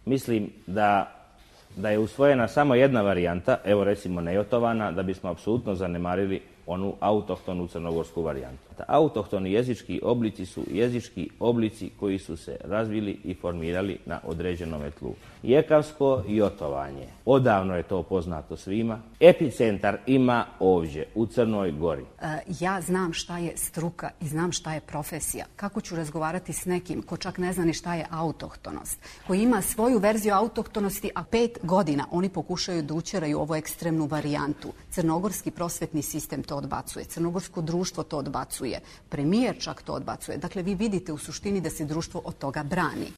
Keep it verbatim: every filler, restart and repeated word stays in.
Mislim da da je usvojena samo jedna varijanta, evo recimo nejotovana, da bismo apsolutno zanemarili onu autohtonu crnogorsku varijantu. Autohtoni jezički oblici su jezički oblici koji su se razvili i formirali na određenom tlu. Jekavsko jotovanje, odavno je to poznato svima. Epicentar ima ovdje, u Crnoj Gori. E, ja znam šta je struka i znam šta je profesija. Kako ću razgovarati s nekim ko čak ne zna ni šta je autohtonost, koji ima svoju verziju autohtonosti, a pet godina oni pokušaju da učeraju ovu ekstremnu varijantu. Crnogorski prosvetni sistem to odbacuje, crnogorsko društvo to odbacuje, premijer čak to odbacuje. Dakle, vi vidite u suštini da se društvo od toga brani.